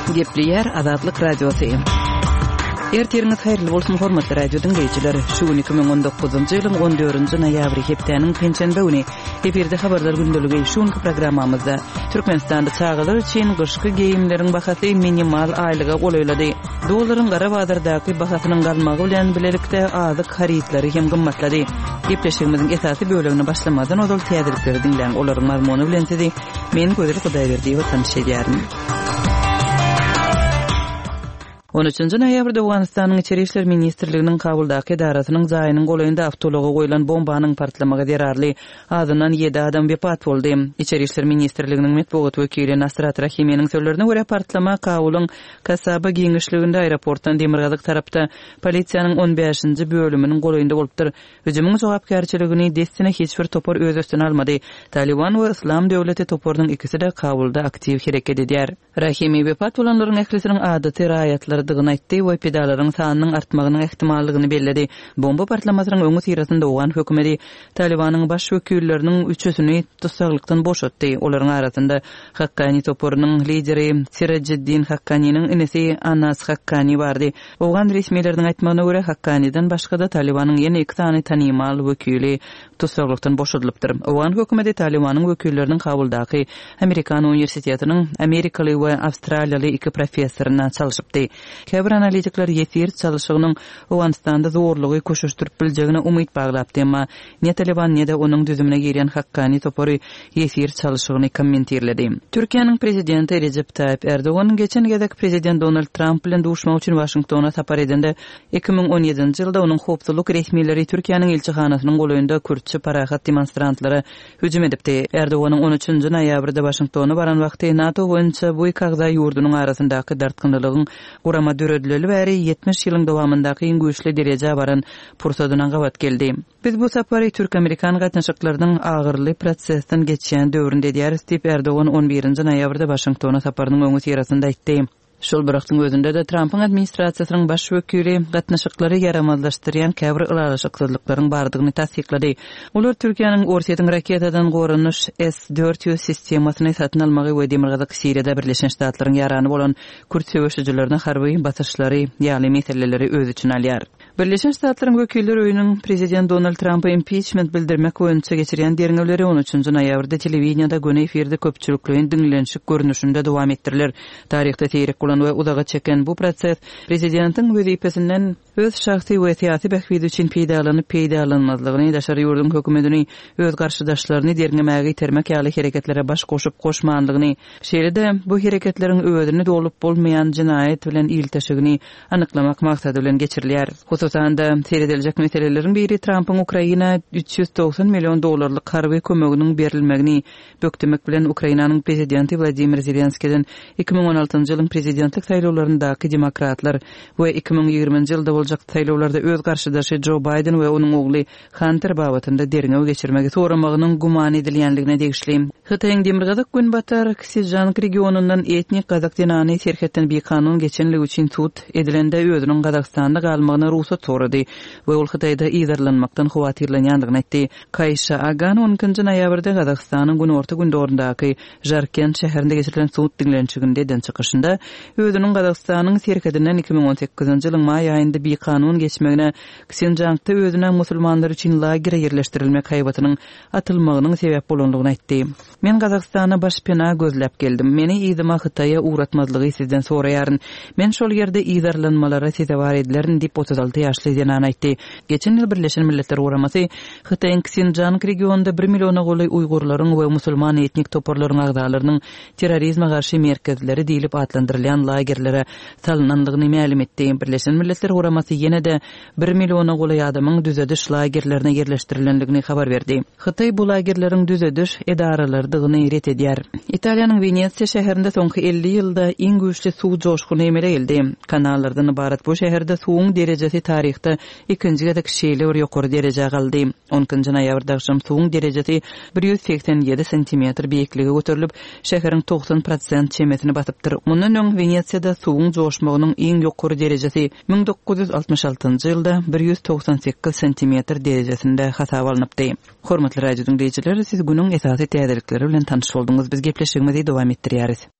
Gepleýär Azatlyk Radiosy. Ertiriňiz haýyrly bolsun, hormatly radio diňleýjiler. Şu gün 2019-njy ýylyň 14-nji noýabry, hepdäniň penşenbe güni. Efirde habarlar gündeligi. Şu günki programmamyzda Türkmenistanda çagalar üçin gyşky geýimleriň bahasy minimal aýlyga golaýlady. Dollaryň gara bazardaky bahasynyň galmagy bilen bilelikde azyk harytlary hem gymmatlady. Gepleşigimiziň esasy bölegine başlamazdan ozal täzelikleri diňläň, olaryň mazmuny bilen sizi men Gözel Hudaýberdiýewa tanyş edýärin. On üçünji noýabrda Owganystanyň Içeri işler ministrliginiň Kabuldaky edarasynyň jaýynyň golaýynda awtoulaga goýlan bombanyň partlamagy zerarly azyndan ýedi adam wepat boldy. Içeri işler ministrliginiň metbugat wekili Nasrat Rahiminiň sözlerine görä, partlama Kabulyň Kasaba giňişliginde aeroportdan demirgazyk tarapda polisiýanyň on bäşinji bölüminiň golaýynda bolupdyr. Hüjümiň jogapkärçiligini dessine hiç bir topar öz üstüne almady. Talyban we Yslam döwleti toparynyň ikisi-de Kabulda aktiw hereket edýär. Rahimi wepat bolanlaryň ählisiniň adaty raýatlardygyny aýtdy we pidalaryň sanynyň artmagynyň ähtimallygyny belledi. Bomba partlamasynyň öňüsyrasynda owgan hökümeti Talybanyň baş wekilleriniň üçüsini tussaglykdan boşatdy. Olaryň arasynda Hakkani toparynyň lideri Sirajiddin Hakkaniniň inisi Anas Hakkani bardy. Owgan resmileriniň aýtmagyna görä, Hakkaniden başga-da Talybanyň ýene iki sany tanymal wekili tussaglykdan boşadylypdyr. Owgan hökümeti Talybanyň wekilleriniň Kabuldaky Amerikan uniwersitetiniň amerikaly we awstraliýaly iki professoryna çalşypdy. Käbir analitikler ýesir çalşygynyň Owganystanda zorlugy köşeşdirip biljegine umyt baglapdy, emma ne Talyban, ne-de onuň düzümine girýän Hakkani topary ýesir çalşygyny kommentirledi. Türkiýäniň prezidenti Rejep Taýyp Erdogan geçen gezek prezident Donald Tramp bilen duşmak üçin Waşingtona sapar edende, 2017-nji ýylda onuň howpsuzlyk resmileri Türkiýäniň ilçihanasynyň golaýynda kürtçe parahat demonstrantlara hüjüm edipdi. Erdoganyň on üçünji noýabrda Waşingtona baran wagty NATO boýunça bu iki agza ýurdunyň arasyndaky dartgynlylygyň gurama döredileli bäri 70 ýylyň dowamyndaky iň güýçli derejä baran pursadyna gabat geldi. Biz bu sapary türk-amerikan gatnaşyklarynyň agyryly prosesden geçýän döwründe edýäris diýip, Erdogan on birinji noýabrda Waşingtona saparynyň öňüsyrasynda aýtdy. Şol bir wagtyň özünde-de, Trampyň administrasiýasynyň baş wekili gatnaşyklary ýaramazlaşdyrýan käbir ylalaşyksyzlyklaryň bardygyny tassyklady. Olar Türkiýäniň Orsýetiň raketadan goranyş S 400 sistemasyny satyn almagy we Demirgazyk Siriýada Birleşen Ştatlaryň ýarany bolan kürt söweşijilerine harby basyşlary ýaly meseleleri öz içine alýar. Birleşen Ştatlaryň Wekiller öýüniň prezident Donald Trampa impiçment bildirmek boýunça geçirýän derňewleri on üçünji noýabrda telewideniýede göni efirde köpçülikleýin diňlenişik görnüşinde dowam etdiriler. Taryhda seýrek bolan we uzaga çeken bu proses prezidentiň wezipesinden öz şahsy we syýasy bähbidi üçin peýdalanyp-peýdalanmazlygyny, daşary ýurduň hökümetini öz garşydaşlaryny derňemäge itermek ýaly hereketlere baş goşup-goşmanlygyny, şeýle-de bu hereketleriň özüni dolup bolmaýan jenaýat bilen ilteşigini anyklamak maksady bilen geçirilýär. Hususan-da, serediljek meseleleriň biri Trampyň Ukraina 390 million dollarlyk harby kömeginiň berilmegini bökdemek bilen Ukrainanyň prezidenti Wladimir Zelenskiden 2016-njy ýylyň prezidentlik saýlawlaryndaky demokratlar we 2020-nji ýylda boljak saýlawlarda öz garşydaşy Jo Baýden we onuň ogly Hanter babatynda derňew geçirmegi soramagynyň güman edilýänligine degişli. Hytaýyň demirgazyk-günbatar Ksižang regionyndan etnik gazak zenany serhetden bikanun geçenligi üçin sud edilende özüniň Gazagystanda galmagyna rugsat sorady we ol Hytaýda yzarlanmakdan howatyrlanýandygyny aýtdy. Kaýşa Agan on ikinji noýabrda Gazagystanyň günorta-gündogaryndaky Žarkent şäherinde geçirilen sud diňlenişiginde eden çykyşynda özüniň Gazagystanyň serhedinden 2018-nji ýylyň maý aýynda bikanun geçmegine Ksinžangda özüne musulmanlar üçin lagere ýerleşdirilmek haýbatynyň atylmagynyň sebäp bolandygyny aýtdy. Men Gazagystana başpena gözläp geldim. Meni yzyma Hytaýa ugratmazlygy sizden soraýaryn. Men şol ýerde yzarlanmalara sezewar edilerin diýip, 36 ýaşly zenan aýtdy. Geçen ýyl Birleşen Milletler Guramasy Hytaýyň Ksinžang regionynda bir milliona golaý uýgurlaryň we musulman etnik toparlaryň agzalarynyň terrorizme garşy merkezleri diýlip atlandyrylýan lagerlere salynandygyny mälim etdi. Birleşen Milletler Guramasy ýene-de bir milliona golaý adamyň düzediş lagerlerine ýerleşdirilendigini habar berdi. Hytaý bu lagerleriň düzediş edaralarydygyny ret edýär. Italiýanyň Wenesiýa şäherinde soňky 50 ýylda iň güýçli suw joşguny emele geldi. Kanallardan ybarat bu şäherde suwuň derejesi taryhda ikinji gezek şeýle bir ýokary derejä galdy. On ikinji noýabrda agşam suwuň derejesi 187 santimetr beýiklige göterilip, şäheriň 90 prosent çemesini basypdyr. Mundan öň Wenesiýada suwuň joşmagynyň iň ýokary derejesi 1966-njy ýylda 198 santimetr derejesinde hasaba alnypdy. Hormatly radio diňleýjiler, siz günüň esasy täzelikleri bilen tanyş bolduňyz. Biz gepleşigimizi dowam etdirýäris.